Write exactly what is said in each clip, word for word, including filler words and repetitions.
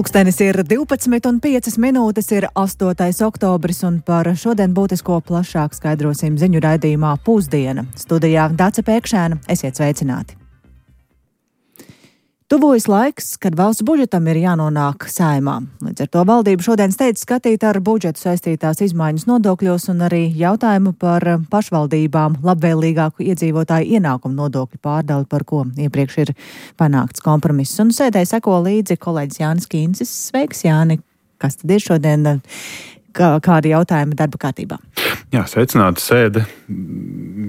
Pulkstenis ir divpadsmit un piecas minūtes, ir astotais oktobris, un par šodien būtisko plašāk skaidrosim ziņu raidījumā Pusdiena. Studijā Dace Pēkšēna, esiet sveicināti. Tuvojas laiks, kad valsts budžetam ir jānonāk Saeimā. Līdz ar to valdība šodien steidz skatīt ar budžetu saistītās izmaiņas nodokļos un arī jautājumu par pašvaldībām labvēlīgāku iedzīvotāju ienākumu nodokļu pārdali, par ko iepriekš ir panākts kompromiss. Un sēdē seko līdzi kolēģis Jānis Kīncis. Sveiks, Jāni! Kas tad ir šodien, kā, kādi jautājumi darba kārtībā? Jā, sveicināti sēde.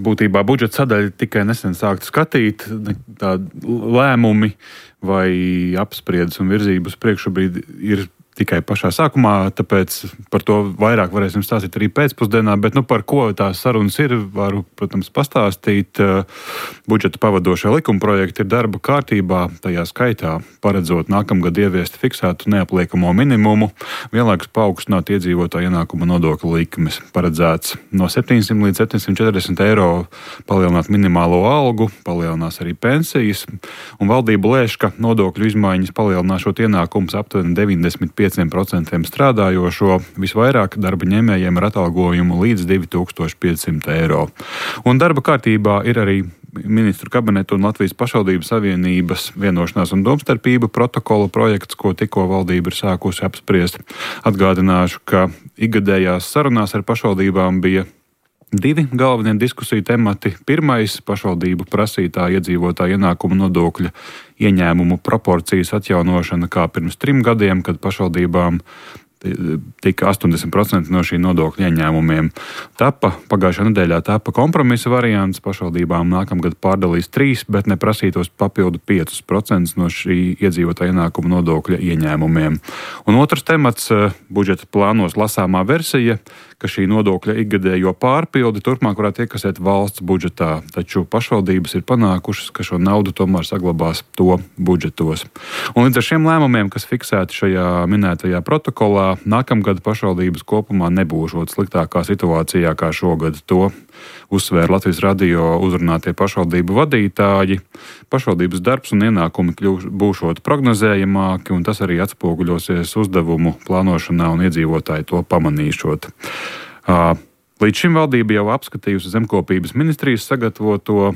Būtībā budžeta sadaļa tikai nesen sākta skatīt. Tādi lēmumi vai apspriedes un virzības priekš šobrīd ir tikai pašā sākumā, tāpēc par to vairāk varēsim stāstīt arī pēcpusdienā, bet nu, par ko tās sarunas ir, varu, protams, pastāstīt. Budžeta pavadošie likumprojekti ir darba kārtībā, tajā skaitā paredzot nākamgad ieviest fiksētu neapliekamo minimumu, vienlaikus paaugstināt iedzīvotāju ienākuma nodokļu likmes. Paredzēts no septiņsimt līdz septiņsimt četrdesmit eiro palielināt minimālo algu, palielinās arī pensijas, un valdība lēš, ka nodokļu izmaiņas palielināšot ienākumus aptuveni deviņdesmit pieci procenti strādājošo, visvairāk darba ņēmējiem ar atalgojumu līdz divi tūkstoši piecsimt eiro. Un darba kārtībā ir arī Ministru kabineta un Latvijas pašvaldību savienības vienošanās un domstarpību protokola projekts, ko tikko valdība ir sākusi apspriest. Atgādināšu, ka ikgadējās sarunās ar pašvaldībām bija divi galvenie diskusiju temati. Pirmais - pašvaldību prasītā iedzīvotāja ienākuma nodokļa ieņēmumu proporcijas atjaunošana kā pirms trim gadiem, kad pašvaldībām tika astoņdesmit procenti no šī nodokļa ieņēmumiem. Tapa, pagājušā nedēļā tapa kompromisa variants, pašvaldībām nākamgad pārdalīs trīs, bet neprasītos papildu piecus procentus no šī iedzīvotāja ienākuma nodokļa ieņēmumiem. Un otrs temats - budžeta plānos lasāmā versija, ka šī nodokļa ikgadējo pārpildi turpmāk varētu iekasēt valsts budžetā, taču pašvaldības ir panākušas, ka šo naudu tomēr saglabās to budžetos. Un līdz ar šiem lēmumiem, kas fiksēti šajā minētajā protokolā, nākamgad pašvaldības kopumā nebūšot sliktākā situācijā kā šogad. To uzsvēra Latvijas radio uzrunātie pašvaldību vadītāji. Pašvaldības darbs un ienākumi kļūs, būšot prognozējamāki, un tas arī atspoguļosies uzdevumu plānošanā un iedzīvotāji to pamanīšot. Līdz šim valdība jau apskatījusi zemkopības ministrijas sagatavoto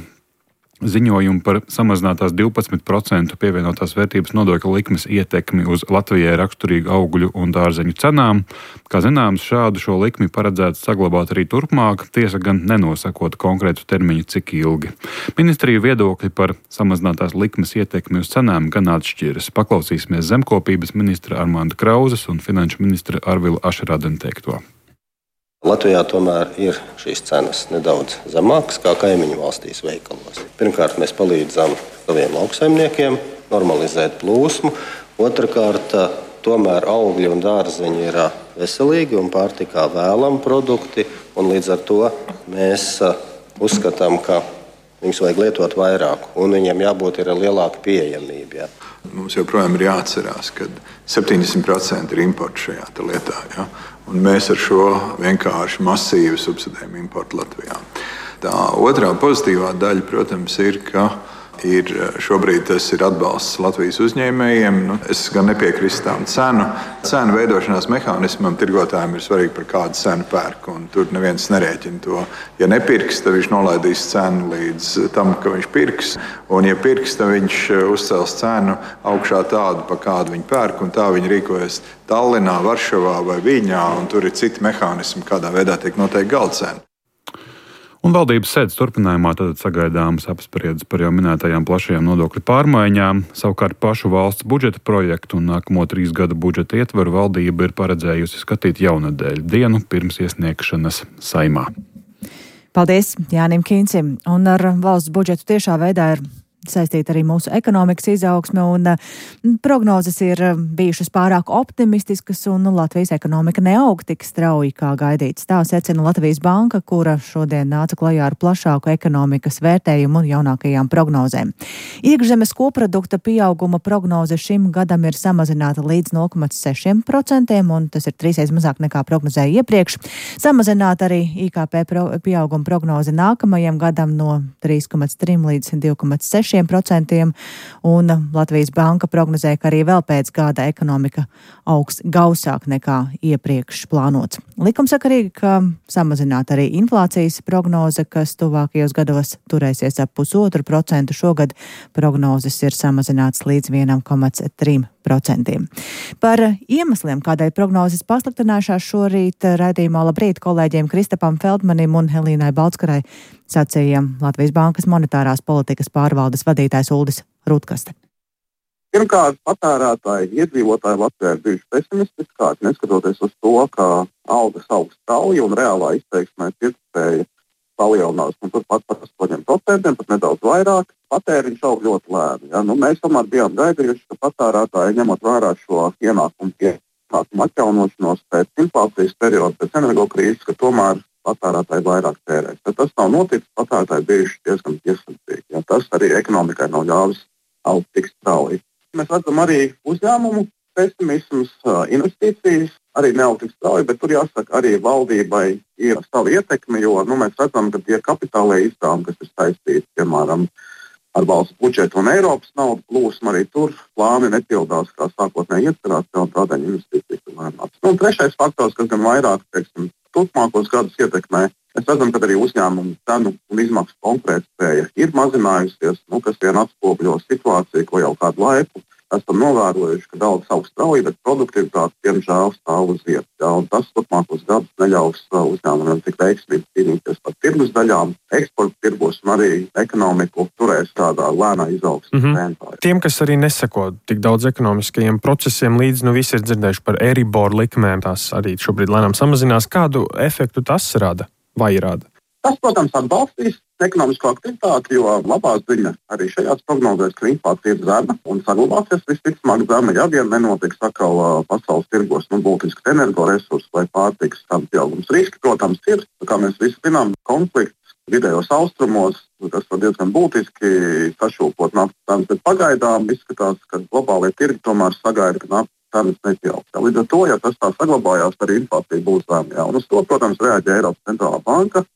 ziņojumu par samazinātās divpadsmit procentu pievienotās vērtības nodokļa likmes ietekmi uz Latvijai raksturīgu augļu un dārzeņu cenām. Kā zināms, šādu šo likmi paredzēts saglabāt arī turpmāk, tiesa gan nenosakot konkrētu termiņu, cik ilgi. Ministriju viedokļi par samazinātās likmes ietekmi uz cenām gan atšķiras. Paklausīsimies zemkopības ministra Armanda Krauzes un finanšu ministra Arvila Ašerādena teikto. Latvijā tomēr ir šīs cenas nedaudz zemākas kā kaimiņu valstīs veikalos. Pirmkārt, mēs palīdzam saviem lauksaimniekiem normalizēt plūsmu. Otrakārt, tomēr augļi un dārzeņi ir veselīgi un pārtikā vēlami produkti, un līdz ar to mēs uzskatām, ka viņus vajag lietot vairāk, un viņiem jābūt ir lielāka pieejamība. Jā. Mums joprojām ir jāatcerās, ka septiņdesmit procenti ir imports šajā lietā. Ja? Un mēs ar šo vienkārši masīvi subsidējam importu Latvijā. Tā otrā pozitīvā daļa, protams, ir, ka ir šobrīd tas ir atbalsts Latvijas uzņēmējiem. Nu, es gan nepiekrīstu tām cenu. Cenu veidošanās mehānismam tirgotājiem ir svarīgi, par kādu cenu pērk. Un tur neviens nerēķina to. Ja nepirks, tad viņš nolaidīs cenu līdz tam, ka viņš pirks. Un ja pirks, tad viņš uzcels cenu augšā tādu, pa kādu viņi pērk. Un tā viņi rīkojas Tallinā, Varšavā vai Viļņā. Un tur ir citi mehānismi, kādā veidā tiek noteikti galdcena. Un valdības sēdes turpinājumā tad sagaidāmas apspriedes par jau minētajām plašajām nodokļu pārmaiņām. Savukārt pašu valsts budžeta projektu un nākamo trīs gadu budžeta ietvaru valdība ir paredzējusi skatīt jaunadēļ, dienu pirms iesniegšanas Saeimā. Paldies Jānim Kīncim. Un ar valsts budžetu tiešā veidā ir saistīta arī mūsu ekonomikas izaugsme, un prognozes ir bijušas pārāk optimistiskas, un Latvijas ekonomika neaug tik strauji, kā gaidīts. Tā secina Latvijas banka, kura šodien nāca klajā ar plašāku ekonomikas vērtējumu un jaunākajām prognozēm. Iekšzemes koprodukta pieauguma prognoze šim gadam ir samazināta līdz nulle komats seši procenti, un tas ir trīsreiz mazāk nekā prognozēja iepriekš. Samazināta arī I K P pro, pieauguma prognoze nākamajam gadam no trīs komats trīs līdz divi komats seši sešiem procentiem, un Latvijas Banka prognozē, ka arī vēl pēc gada ekonomika augs gausāk nekā iepriekš plānots. Likumsakarīgi, ka samazināt arī inflācijas prognoze, kas tuvākajos gados turēsies ap pusotru procentu. Šogad prognozes ir samazināts līdz vienam komats trim procentiem. Par iemesliem, kādēļ prognozes pasliktinājušās, šorīt raidījumā Labrīt kolēģiem Kristapam Feldmanim un Helīnai Balckarai sacīja Latvijas Bankas monetārās politikas pārvaldes vadītājs Uldis Rutkaste. Pirmkārt, patērētāji, iedzīvotāji Latvijā ir bijuši pesimistiskāki, neskatoties uz to, ka algas aug strauji un reālā izteiksmē pirktspēja palielinās, un turpat par astoņiem procentiem, pat nedaudz vairāk, patēriņš aug ļoti lēni. Ja? Nu, mēs tomēr bijām gaidījuši, ka patērētāji, ņemot vērā šo ienākumu ienākumu atjaunošanos pēc inflācijas perioda, pēc energokrīzes, ka tomēr patērētāji vairāk tērēs. Bet tas nav noticis, patērētāji bijuši diezgan piesardzīgi. Ja? Tas arī ekonomikai nav ļāvis augt tik strauji. Mēs redzam arī uzņēmumu pesimisms, investīcijas arī neaug tik strauji, bet tur jāsaka, arī valdībai ir sava ietekme, jo nu, mēs redzam, ka tie kapitālajie izdevumi, kas ir saistīti, piemēram, ar valsts budžetu un Eiropas naudu plūsmu, arī tur plāni nepildās, kā sākotnēji iecerēts, un tādēļ investīcijas ir lēnākas. Nu, un trešais faktors, kas gan vairāk, teiksim, turpmākos gadus ietekmē, mēs redzam, ka arī uzņēmumu cenu un izmaksu konkurētspēja ir mazinājusies, nu, kas vien atspogļo situāciju, ko jau kādu laiku esam novērojuši, ka daudz aug strauji, bet produktivitāte, diemžēl, stāv uz vietas. Ja, un tas turpmākos gadus neļaus uzņēmumiem tik veiksmīgi cīnīties par tirgus daļām, eksporta tirgos un arī ekonomiku turēs tādā lēnā izaugsmes mm-hmm. tempā. Tiem, kas arī neseko tik daudz ekonomiskajiem procesiem līdz, nu visi ir dzirdējuši par Euribor likmēm, tās arī šobrīd lēnām samazinās. Kādu efektu tas rada vai rada? Tas, protams, atbalstīs ekonomisko aktivitāti, jo labā ziņa arī šajās prognozēs, ka inflācija ir zema un saglabāsies visticamāk zema, ja vien nenotiks atkal uh, pasaules tirgos nu, būtisks energoresursu vai pārtikas cenu pieaugums. Riski, protams, ir, kā mēs visi zinām, konflikts vidējos austrumos, kas var diezgan būtiski sašūpot naftas cenas, bet pagaidām izskatās, ka globālie tirgi tomēr sagaida, ka naftas cenas nepieaugs. Līdz ar to, ja tas tā saglabājās, arī inflācija būs zema. Un uz to, protams, reaģē Eiropas centrālā banka.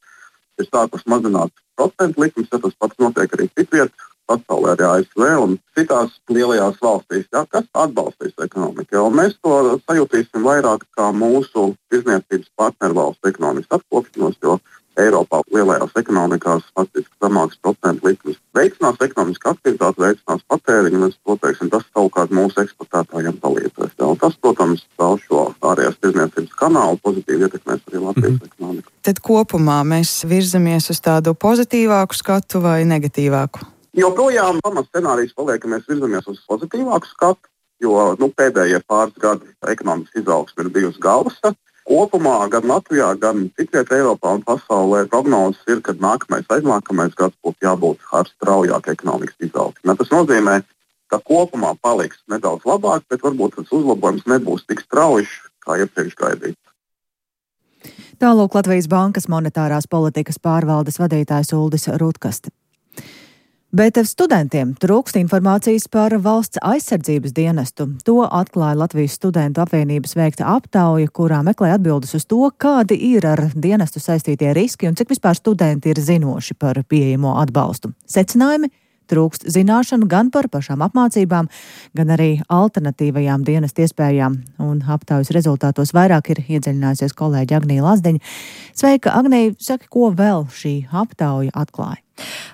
Ir sākus mazināt procentu likmes, ja tas pats notiek arī citviet, pasaulē arī A S V un citās lielajās valstīs, ja, kas atbalstīs ekonomiku. Ja, mēs to sajutīsim vairāk kā mūsu tirzniecības partneru valstu ekonomikas atkopšanos, jo Eiropā lielajās ekonomikās faktiski zemāks procentu likmes veicinās ekonomiskā aktivitāte, veicinās patēriņu, un es to teiksim, tas savukārt mūsu eksportētājiem palīdzēs. Ja, un tas, protams, vēl šo ārējās tirzniecības kanālu pozitīvi ietekmēs arī Latvijas mm-hmm. ekonomiku. Tad kopumā mēs virzamies uz tādu pozitīvāku skatu vai negatīvāku? Joprojām pamats scenārijs paliek, ka mēs virzamies uz pozitīvāku skatu, jo nu, pēdējie pāris gadi ekonomikas izaugsme ir bijusi galvasa. Kopumā gan Latvijā, gan citviet Eiropā un pasaulē prognozes ir, ka nākamais, aiznākamais gads būtu jābūt ar straujāku ekonomikas izaugsmi. Tas nozīmē, ka kopumā paliks nedaudz labāk, bet varbūt tas uzlabojums nebūs tik strauji, kā iepriekš gaidīts. Tālūk Latvijas Bankas monetārās politikas pārvaldes vadītājs Uldis Rutkaste. Bet studentiem trūkst informācijas par valsts aizsardzības dienestu. To atklāja Latvijas studentu apvienības veikta aptauja, kurā meklē atbildes uz to, kādi ir ar dienestu saistītie riski un cik vispār studenti ir zinoši par pieejamo atbalstu. Secinājumi? Trūkst zināšanu gan par pašām apmācībām, gan arī alternatīvajām dienestu iespējām. Un aptaujas rezultātos vairāk ir iedziļinājusies kolēģi Agnija Lazdiņa. Sveika, Agnija, saki, ko vēl šī aptauja atklāja?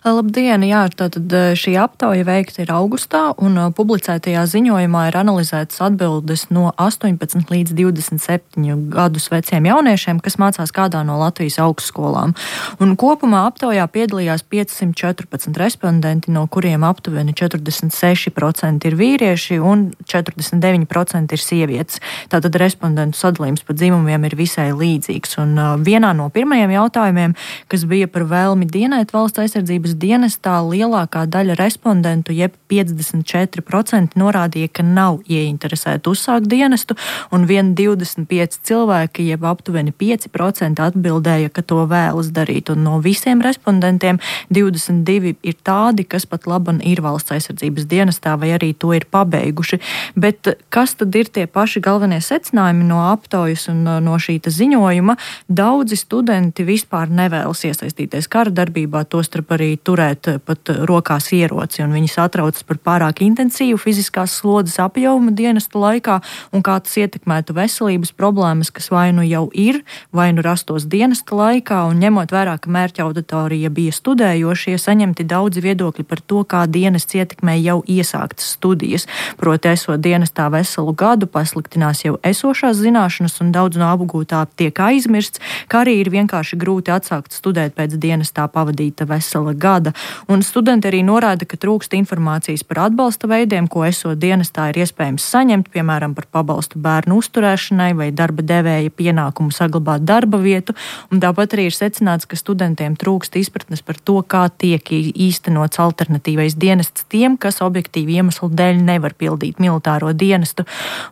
Labdien, jā, tātad šī aptauja veikta ir augustā, un publicētajā ziņojumā ir analizētas atbildes no astoņpadsmit līdz divdesmit septiņu gadus veciem jauniešiem, kas mācās kādā no Latvijas augstskolām. Un kopumā aptaujā piedalījās piecsimt četrpadsmit respondenti, no kuriem aptuveni četrdesmit seši procenti ir vīrieši un četrdesmit deviņi procenti ir sievietes. Tātad respondentu sadalījums pa dzimumiem ir visai līdzīgs. Un vienā no pirmajiem jautājumiem, kas bija par vēlmi dienēt valsts aizsardzības dienestā, lielākā daļa respondentu, jeb piecdesmit četri procenti norādīja, ka nav ieinteresēti uzsākt dienestu, un vien divdesmit pieci cilvēki, jeb aptuveni pieci procenti atbildēja, ka to vēlas darīt. Un no visiem respondentiem divdesmit divi ir tādi, kas pat laban ir valsts aizsardzības dienestā vai arī to ir pabeiguši. Bet kas tad ir tie paši galvenie secinājumi no aptaujas un no šīta ziņojuma? Daudzi studenti vispār nevēlas iesaistīties kara darbībā, tostarp arī turēt pat rokās ieroci, un viņi satraucas par pārāk intensīvu fiziskās slodzes apjomu dienesta laikā, un kā tas ietekmētu veselības problēmas, kas vai nu jau ir, vai nu rastos dienesta laikā, un ņemot vērā, ka mērķa auditorija bija studējošie, saņemti daudzi viedokļi par to, kā dienests ietekmē jau iesāktas studijas. Proti, esot dienestā veselu gadu, pasliktinās jau esošās zināšanas, un daudz no apgūtā tiek aizmirsts, kā arī ir vienkārši grūti atsākt studēt pēc dienestā pavadīta vesela gada. Un studenti arī norāda, ka trūkst informācijas par atbalsta veidiem, ko esot dienestā ir iespējams saņemt, piemēram, par pabalstu bērnu uzturēšanai vai darba devēja pienākumu saglabāt darba vietu. Un tāpat arī ir secināts, ka studentiem trūkst izpratnes par to, kā tiek īstenots alternatīvais dienests tiem, kas objektīvi iemeslu dēļ nevar pildīt militāro dienestu.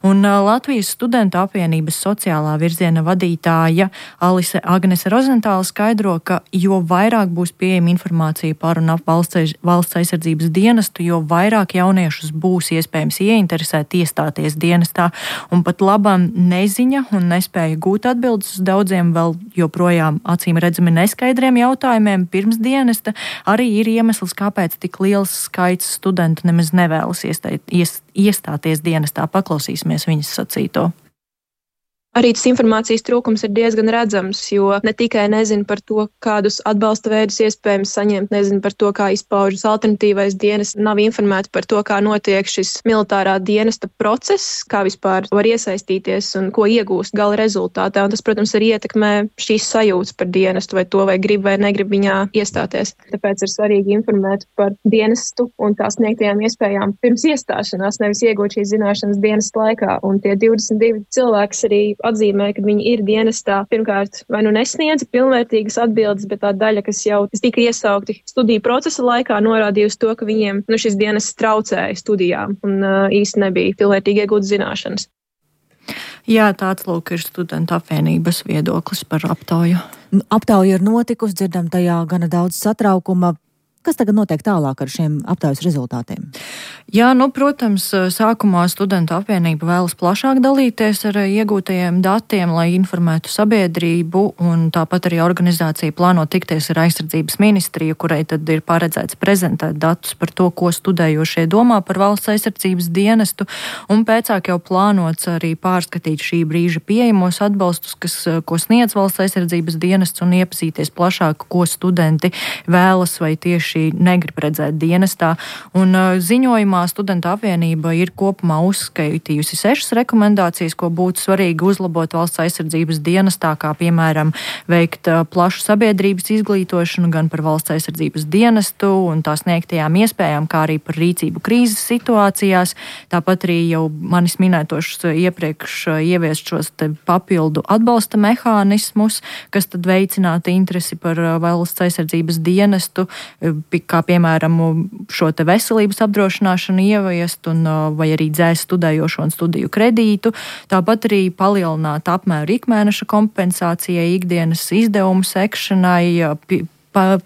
Un Latvijas studentu apvienības sociālā virziena vadītāja Alise Agnese Rozentāla skaidro, ka jo vairāk būs pieejama informācija par un ap valsts, valsts aizsardzības dienestu, jo vairāk jauniešus būs iespējams ieinteresēt iestāties dienestā, un pat labam neziņa un nespēja gūt atbildes uz daudziem vēl joprojām acīm redzami neskaidriem jautājumiem pirms dienesta arī ir iemesls, kāpēc tik liels skaits studentu nemaz nevēlas iestāt, ies, iestāties dienestā. Paklausīsimies viņas sacīto. Arī tas informācijas trūkums ir diezgan redzams, jo ne tikai nezinu par to, kādus atbalsta veidus iespējams saņemt, nezinu par to, kā izpaužas alternatīvais dienests, nav informēti par to, kā notiek šis militārā dienesta process, kā vispār var iesaistīties un ko iegūst gala rezultātā. Un tas, protams, arī ietekmē šīs sajūtas par dienestu, vai to vai grib vai negrib viņā iestāties. Tāpēc ir svarīgi informēt par dienestu un tās sniegtajām iespējām pirms iestāšanās, nevis iegūt šīs zināšanas dienesta laikā. Un tie divdesmit divi cilvēki arī atzīmē, ka viņi ir dienestā, pirmkārt, vai nu nesniedza pilnvērtīgas atbildes, bet tā daļa, kas jau kas tika iesaukti studiju procesa laikā, norādīja uz to, ka viņiem nu, šis dienests traucēja studijām un uh, īsti nebija pilnvērtīgi iegūt zināšanas. Jā, tāds lūk ir studentu apvienības viedoklis par aptauju. Aptauja ir notikusi, dzirdam tajā gana daudz satraukuma. Kas tagad notiek tālāk ar šiem aptaujas rezultātiem? Jā, nu, protams, sākumā studentu apvienība vēlas plašāk dalīties ar iegūtajiem datiem, lai informētu sabiedrību, un tāpat arī organizācija plāno tikties ar aizsardzības ministriju, kurai tad ir paredzēts prezentēt datus par to, ko studējošie domā par valsts aizsardzības dienestu, un pēcāk jau plānots arī pārskatīt šī brīža pieejamos atbalstus, kas, ko sniedz valsts aizsardzības dienests, un iepazīties plašāk, ko studenti vēlas vai tieši negrib redzēt dienestā. Un uh, ziņojumā studentu apvienība ir kopumā uzskaitījusi sešas rekomendācijas, ko būtu svarīgi uzlabot valsts aizsardzības dienestā, kā piemēram veikt uh, plašu sabiedrības izglītošanu gan par valsts aizsardzības dienestu un tās sniegtajām iespējām, kā arī par rīcību krīzes situācijās. Tāpat arī jau manis minētošs iepriekš uh, ieviest šos te papildu atbalsta mehānismus, kas tad veicinātu interesi par uh, valsts aizsardzības dienestu, kā piemēram šo te veselības apdrošināšanu ieviest un vai arī dzēst studējošo un studiju kredītu. Tāpat arī palielināt apmēru ikmēneša kompensācijai, ikdienas izdevumu sekšanai,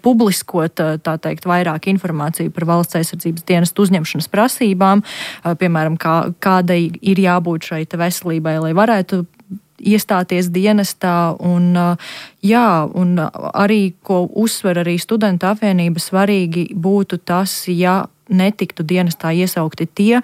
publiskot, tā teikt, vairāk informāciju par valsts aizsardzības dienestu uzņemšanas prasībām, piemēram, kā, kādai ir jābūt šai te veselībai, lai varētu iestāties dienestā, un, jā, un arī, ko uzsver arī studentu apvienība, svarīgi būtu tas, ja netiktu dienestā iesaukti tie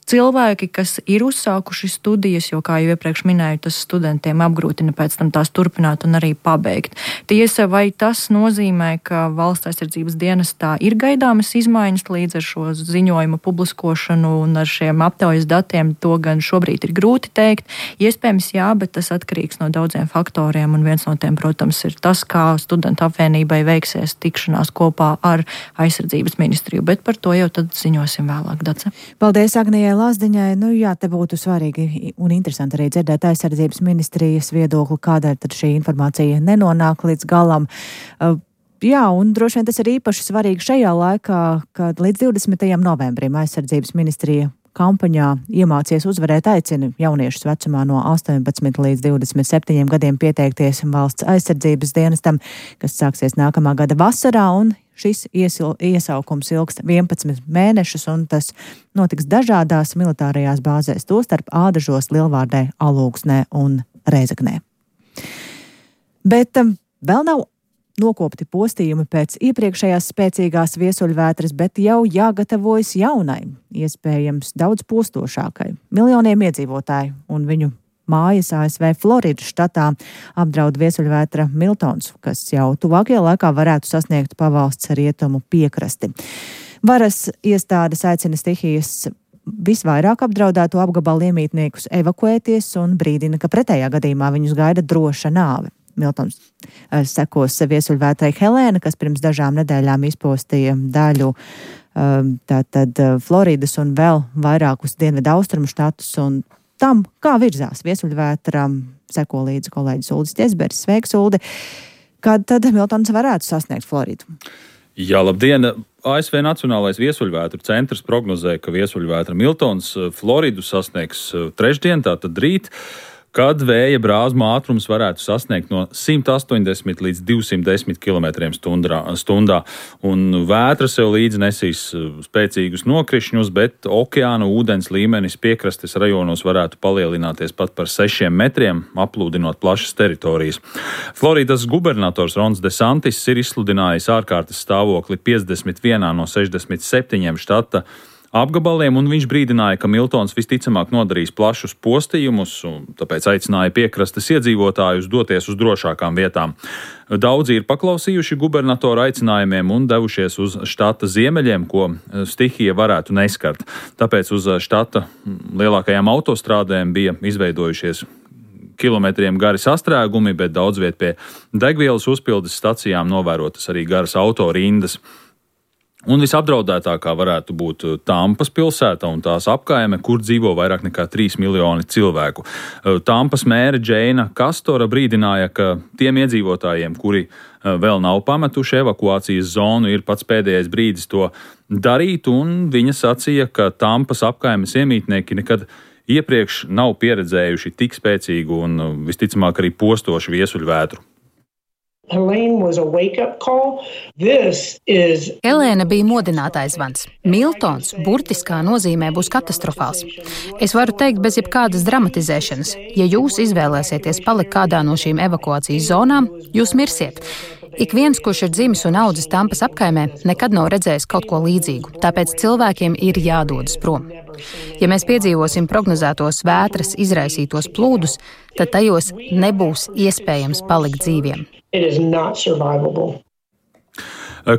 cilvēki, kas ir uzsākuši studijas, jo, kā jau iepriekš minēju, tas studentiem apgrūtina pēc tam tās turpināt un arī pabeigt. Tiesa, vai tas nozīmē, ka valsts aizsardzības dienestā ir gaidāmas izmaiņas līdz ar šo ziņojumu publiskošanu un ar šiem aptaujas datiem, to gan šobrīd ir grūti teikt. Iespējams, jā, bet tas atkarīgs no daudziem faktoriem, un viens no tiem, protams, ir tas, kā studentu apvienībai veiksies tikšanās kopā ar aizsardzības ministriju, bet par to jau tad ziņosim vēlāk, Dace. Paldies Agnijai Lazdiņai. Nu jā, te būtu svarīgi un interesanti arī dzirdēt aizsardzības ministrijas viedokli, kādēļ tad šī informācija nenonāk līdz galam. Uh, jā, un droši vien tas ir īpaši svarīgi šajā laikā, kad līdz divdesmitajam novembrim aizsardzības ministrija kampaņā Iemācies uzvarēt aicina jauniešus vecumā no astoņpadsmit līdz divdesmit septiņiem gadiem pieteikties valsts aizsardzības dienestam, kas sāksies nākamā gada vasarā, un šis iesil, iesaukums ilgs vienpadsmit mēnešus, un tas notiks dažādās militārajās bāzēs, tostarp Ādažos, Lielvārdē, Alūksnē un Rēzeknē. Bet um, vēl nav nokopti postījumi pēc iepriekšējās spēcīgās viesuļvētras, bet jau jāgatavojas jaunai, iespējams daudz postošākai. Miljoniem iedzīvotāju un viņu mājas A S V Floridas štatā apdraud viesuļvētra Miltons, kas jau tuvākajā laikā varētu sasniegt pavalsts rietumu piekrasti. Varas iestādes aicina stihijas visvairāk apdraudēto apgabalu iemītniekus evakuēties un brīdina, ka pretējā gadījumā viņus gaida droša nāve. Miltons sekos viesuļvētrai Helēna, kas pirms dažām nedēļām izpostīja daļu tātad Floridas un vēl vairākus dienvidu austrumu štatus, un tam, kā virzās viesuļvētra, seko līdzi kolēģis Uldis Ķezberis. Sveiks, Uldi! Kad tad Miltons varētu sasniegt Floridu? Jā, labdien! A S V Nacionālais viesuļvētru centrs prognozē, ka viesuļvētra Miltons Floridu sasniegs trešdien, tātad rīt, kad vēja brāzma ātrums varētu sasniegt no simt astoņdesmit līdz divsimt desmit kilometriem stundā. Un vētra sev līdzi nesīs spēcīgus nokrišņus, bet okeāna ūdens līmenis piekrastes rajonos varētu palielināties pat par sešiem metriem, aplūdinot plašas teritorijas. Floridas gubernators Rons DeSantis ir izsludinājis ārkārtas stāvokli piecdesmit vienā no sešdesmit septiņiem štata apgabaliem, un viņš brīdināja, ka Miltons visticamāk nodarīs plašus postījumus, un tāpēc aicināja piekrastes iedzīvotājus doties uz drošākām vietām. Daudzi ir paklausījuši gubernatora aicinājumiem un devušies uz štata ziemeļiem, ko stihija varētu neskart. Tāpēc uz štata lielākajām autostrādēm bija izveidojušies kilometriem gari sastrēgumi, bet daudz viet pie degvielas uzpildes stacijām novērotas arī garas autorindas. Un visapdraudētākā varētu būt Tampas pilsēta un tās apkaime, kur dzīvo vairāk nekā trīs miljoni cilvēku. Tampas mēre Džeina Kastora brīdināja, ka tiem iedzīvotājiem, kuri vēl nav pametuši evakuācijas zonu, ir pats pēdējais brīdis to darīt, un viņa sacīja, ka Tampas apkaimes iemītnieki nekad iepriekš nav pieredzējuši tik spēcīgu un visticamāk arī postošu viesuļvētru. Helēna bija modinātājs zvans. Miltons burtiskā nozīmē būs katastrofāls. Es varu teikt bez jebkādas dramatizēšanas. Ja jūs izvēlēsieties palikt kādā no šīm evakuācijas zonām, jūs mirsiet. Ik viens, kurš ir dzimis un audzis Tampas apkaimē, nekad nav redzējis kaut ko līdzīgu, tāpēc cilvēkiem ir jādodas prom. Ja mēs piedzīvosim prognozētos vētras izraisītos plūdus, tad tajos nebūs iespējams palikt dzīviem.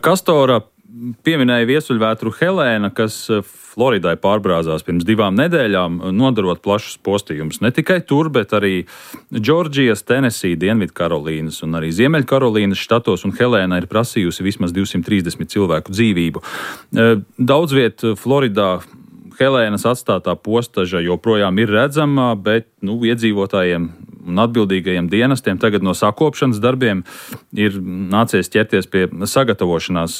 Kastora pieminēja viesuļvētru Helēna, kas Floridai pārbrāzās pirms divām nedēļām, nodarot plašus postījumus. Ne tikai tur, bet arī Džordžijas, Tenesija, Dienvidkarolīnas un arī Ziemeļkarolīnas štatos, un Helēna ir prasījusi vismaz divsimt trīsdesmit cilvēku dzīvību. Daudz viet Floridā Helēnas atstātā postaža joprojām ir redzama, bet nu, iedzīvotājiem un atbildīgajiem dienestiem tagad no sakopšanas darbiem ir nācies ķerties pie sagatavošanās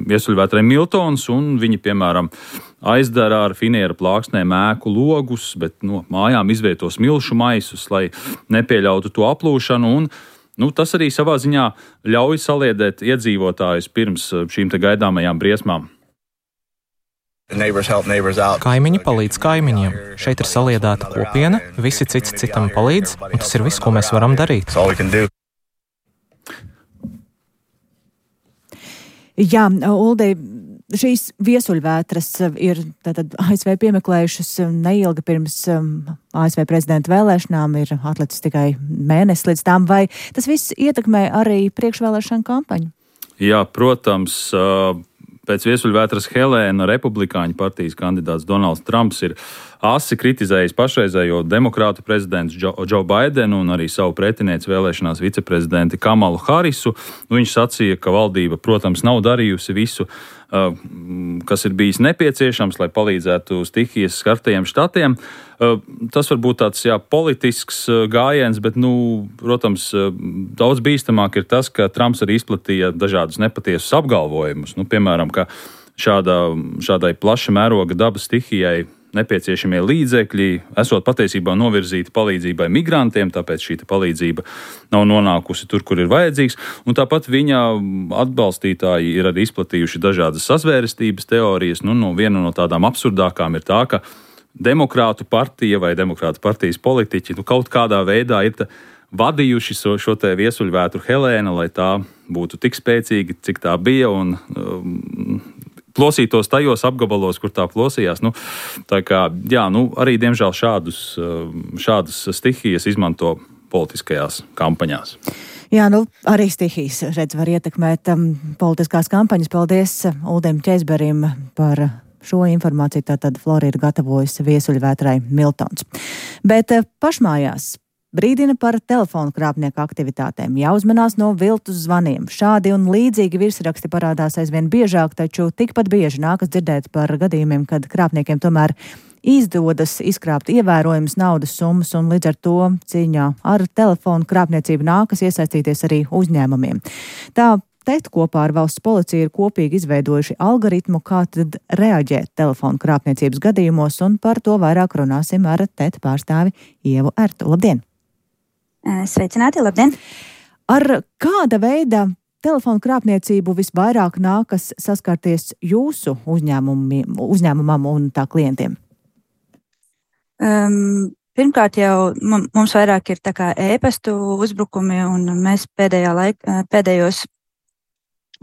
viesuļvētrai Miltons, un viņi, piemēram, aizdara ar finiera plāksnēm ēku logus, bet no mājām izvieto smilšu maisus, lai nepieļautu to aplūšanu, un nu, tas arī savā ziņā ļauj saliedēt iedzīvotājus pirms šīm te gaidāmajām briesmām. Kaimiņi palīdz kaimiņiem. Šeit ir saliedēta kopiena, visi cits citam palīdz, un tas ir viss, ko mēs varam darīt. Jā, Uldi, šīs viesuļvētras ir tātad A S V piemeklējušas neilgi pirms A S V prezidenta vēlēšanām, ir atlicis tikai mēnesis līdz tām, vai tas viss ietekmē arī priekšvēlēšanu kampaņu? Jā, protams. Pēc viesuļvētras Helēna republikāņu partijas kandidāts Donalds Trumps ir asi kritizējis pašreizējo demokrātu prezidentu Džo Baidenu un arī savu pretinieci vēlēšanās viceprezidenti Kamalu Harisu. Viņš sacīja, ka valdība, protams, nav darījusi visu, kas ir bijis nepieciešams, lai palīdzētu stihijas skartajiem štatiem. Tas var būt tāds jā, politisks gājiens, bet, nu, protams, daudz bīstamāk ir tas, ka Trumps arī izplatīja dažādus nepatiesus apgalvojumus. Nu, piemēram, ka šādā, šādai plaša mēroga dabas stihijai nepieciešamie līdzekļi esot patiesībā novirzīti palīdzībai migrantiem, tāpēc šī palīdzība nav nonākusi tur, kur ir vajadzīgs. Un tāpat viņa atbalstītāji ir arī izplatījuši dažādas sazvērestības teorijas. Nu, no viena no tādām absurdākām ir tā, ka demokrātu partija vai demokrātu partijas politiķi nu, kaut kādā veidā ir vadījuši šo, šo te viesuļvētru Helēna, lai tā būtu tik spēcīga, cik tā bija, un um, plosītos tajos apgabalos, kur tā plosījās. Nu, tā kā, jā, nu, arī, diemžēl, šādus, šādas stihijas izmanto politiskajās kampaņās. Jā, nu, arī stihijas, redz, var ietekmēt um, politiskās kampaņas. Paldies Uldim Ķezberim par šo informāciju. Tātad Flora ir gatavojusi viesuļvētrai Miltons. Bet uh, pašmājās brīdina par telefonu krāpnieku aktivitātēm. Jāuzmanās no viltus zvaniem. Šādi un līdzīgi virsraksti parādās aizvien biežāk, taču tikpat bieži nākas dzirdēt par gadījumiem, kad krāpniekiem tomēr izdodas izkrāpt ievērojamas naudas summas, un līdz ar to cīņā ar telefonu krāpniecību nākas iesaistīties arī uzņēmumiem. Tā T E T kopā ar valsts policiju ir kopīgi izveidojuši algoritmu, kā tad reaģēt telefonu krāpniecības gadījumos, un par to vairāk runāsim ar T E T pārstāvi Ievu Ertu. Labdien! Sveicināti, labdien! Ar kāda veida telefonu krāpniecību visvairāk nākas saskarties jūsu uzņēmumam un tā klientiem? Um, pirmkārt jau mums vairāk ir tā kā e-pastu uzbrukumi, un mēs pēdējā laika, pēdējos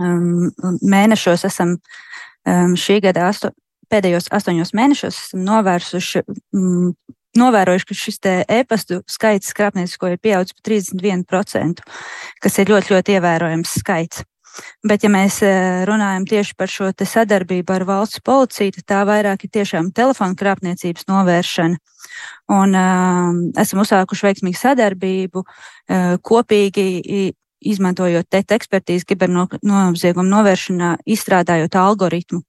um, mēnešos esam um, šī gada asto, pēdējos astoņos mēnešos esam novērsuši um, novērojuši, ka šis te e-pastu skaits krāpniecisko ir pieaudzis par trīsdesmit vienu procentu, kas ir ļoti, ļoti ievērojams skaits. Bet, ja mēs runājam tieši par šo te sadarbību ar valsts policiju, tad tā vairāk ir tiešām telefonu krāpniecības novēršana. Un um, esam uzsākuši veiksmīgu sadarbību, uh, kopīgi izmantojot T E T ekspertīzi kibernoziegumu novēršanā, izstrādājot algoritmu,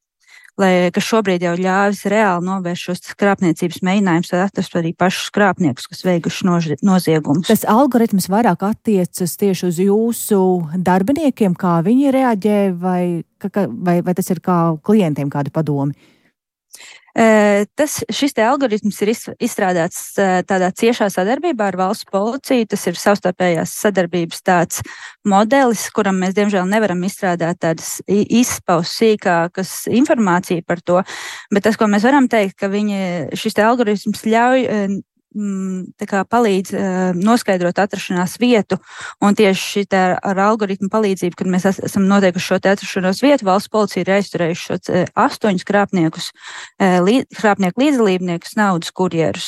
lai, kas šobrīd jau ļāvis reāli novērst šos krāpniecības mēģinājumus, tad atrast arī pašus krāpniekus, kas veikuši noziegumus. Tas algoritms vairāk attiecas tieši uz jūsu darbiniekiem, kā viņi reaģē, vai, vai, vai tas ir kā klientiem kādi padomi? Tas, šis te algoritms ir izstrādāts tādā ciešā sadarbībā ar valsts policiju. Tas ir savstarpējās sadarbības tāds modelis, kuram mēs diemžēl nevaram izstrādāt tādas izpaus sīkākas informāciju par to, bet tas, ko mēs varam teikt, ka viņi, šis te algoritms ļauj tā kā palīdz noskaidrot atrašanās vietu, un tieši šī ar algoritmu palīdzību, kad mēs esam noteikuši šo te atrašanos vietu, valsts policija ir aizturējuši šos astoņus krāpniekus, krāpnieku līdzdalībniekus, naudas kurjerus.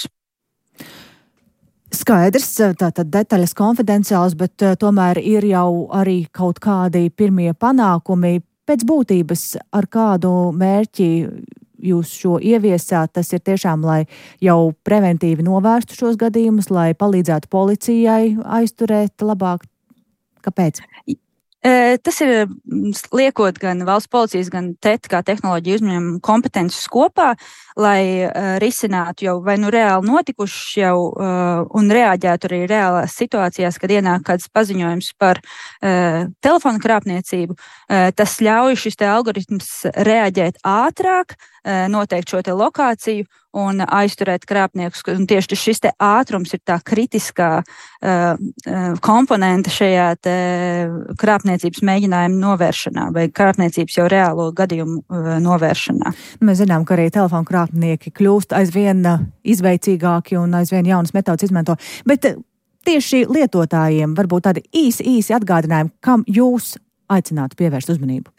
Skaidrs, tātad detaļas konfidenciāls, bet tomēr ir jau arī kaut kādi pirmie panākumi pēc būtības, ar kādu mērķi jūs šo ieviesāt. Tas ir tiešām, lai jau preventīvi novērstu šos gadījumus, lai palīdzētu policijai aizturēt labāk. Kāpēc? Tas ir liekot gan valsts policijas, gan T E T kā tehnoloģiju uzņēmumu kompetences kopā, lai risinātu jau vai nu reāli notikušas jau un reaģētu arī reālās situācijās, kad ienāk kāds paziņojums par telefonu krāpniecību. Tas ļauj šis te algoritms reaģēt ātrāk, noteikt šo te lokāciju un aizturēt krāpniekus. Un tieši šis te ātrums ir tā kritiskā uh, komponente šajā te krāpniecības mēģinājuma novēršanā vai krāpniecības jau reālo gadījumu uh, novēršanā. Mēs zinām, ka arī telefonu krāpnieki kļūst aizvien izveicīgāki un aizvien jaunas metodas izmanto. Bet tieši lietotājiem varbūt tādi īsi, īsi atgādinājumi, kam jūs aicinātu pievērst uzmanību?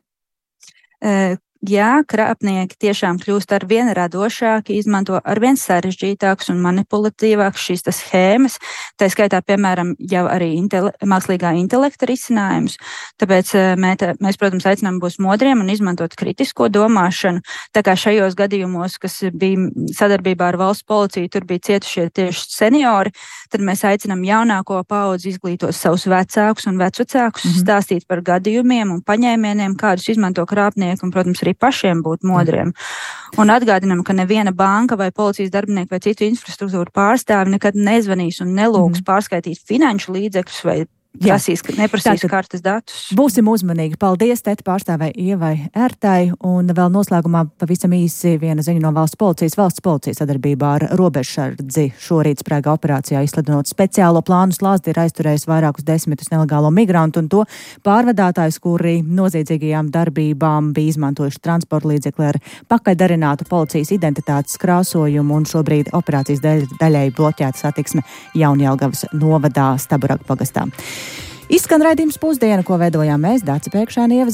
Uh, Jā, krāpnieki tiešām kļūst ar vien radošāki, izmanto ar vien sarežģītākas un manipulatīvākas šīs tas schēmas, tā skaitā, piemēram, jau arī intele, mākslīgā intelekta risinājumus. Tāpēc mēs, mēs, protams, aicinām būt modriem un izmantot kritisko domāšanu. Tā kā šajos gadījumos, kas bija sadarbībā ar valsts policiju, tur bija cietušie tieši seniori, tad mēs aicinām jaunāko paudzi izglītot savus vecākus un vecvecākus, mm-hmm. stāstīt par gadījumiem un paņēmieniem, kādus izmanto krāpnieki, un, protams, arī pašiem būt modriem. Un atgādinām, ka neviena banka vai policijas darbinieki vai citu infrastruktūru pārstāvi nekad nezvanīs un nelūgs mm. pārskaitīt finanšu līdzekļus vai prasīs, neprasīs Tātad kartes datus. Būsim uzmanīgi. Paldies, Teta pārstāvē Ievai Ērtai. Un vēl noslēgumā pavisam īsi viena ziņa no valsts policijas. Valsts policija sadarbībā ar robežsardzi šorīt sprēga operācijā izsludinot speciālo plānu slāzdi ir aizturējis vairākus desmitus nelegālo migrantu un to pārvadātājus, kuri noziedzīgajām darbībām bija izmantojuši transporta līdzekli ar pakaļdarinātu policijas identitātes krāsojumu, un šobrīd operācijas dēļ, daļai bloķēta satiksme Jaunjelgavas novadā Staburagu pagastā. Izskan raidījums Pusdiena, ko veidojām mēs, Dāca Pēkšēna, Ieva